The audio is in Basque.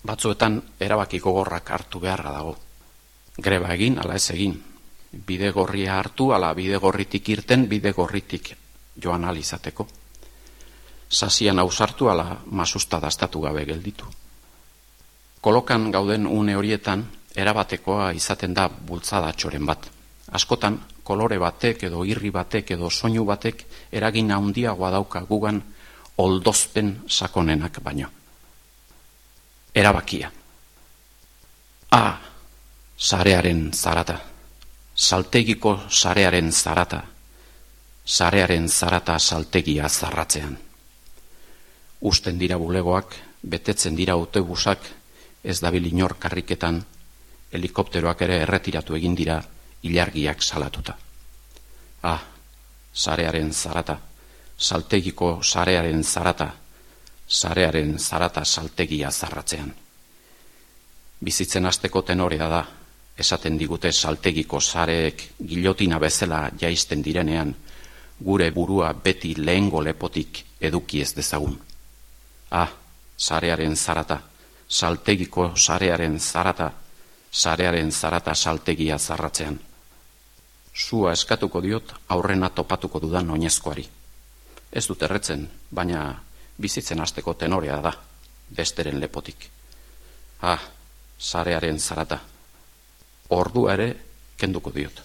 Batzuetan erabaki gogorrak hartu beharra dago. Greba egin, ala ez egin. Bide gorria hartu, ala bide gorritik irten, bide gorritik joan alizateko. Sasian ausartu, ala masusta dastatu gabe gelditu. Kolokan gauden une horietan, erabatekoa izaten da bultzada txoren bat. Askotan, kolore batek edo irri batek edo soinu batek eragin handiagoa dauka gugan oldozpen sakonenak baino. Erabakia. Sarearen zarata. Saltegiko sarearen zarata. Sarearen zarata saltegia zarratzean. Usten dira bulegoak, betetzen dira autobusak, ez dabil inor karriketan, helikopteroak ere erretiratu egin dira ilargiak salatuta. Sarearen zarata. Saltegiko sarearen zarata. Sarearen zarata saltegia zarratzean. Bizitzen hasteko tenorea da, esaten digute saltegiko sareek gilotina bezala jaisten direnean, gure burua beti lehengo lepotik eduki ez dezagun. Sarearen zarata, saltegiko sarearen zarata, sarearen zarata saltegia zarratzean. Sua eskatuko diot aurrena topatuko dudan oinezkoari. Ez dut erretzen, baina bizitzen hasteko tenorea da, besteren lepotik. Sarearen zarata. Ordua ere kenduko diot.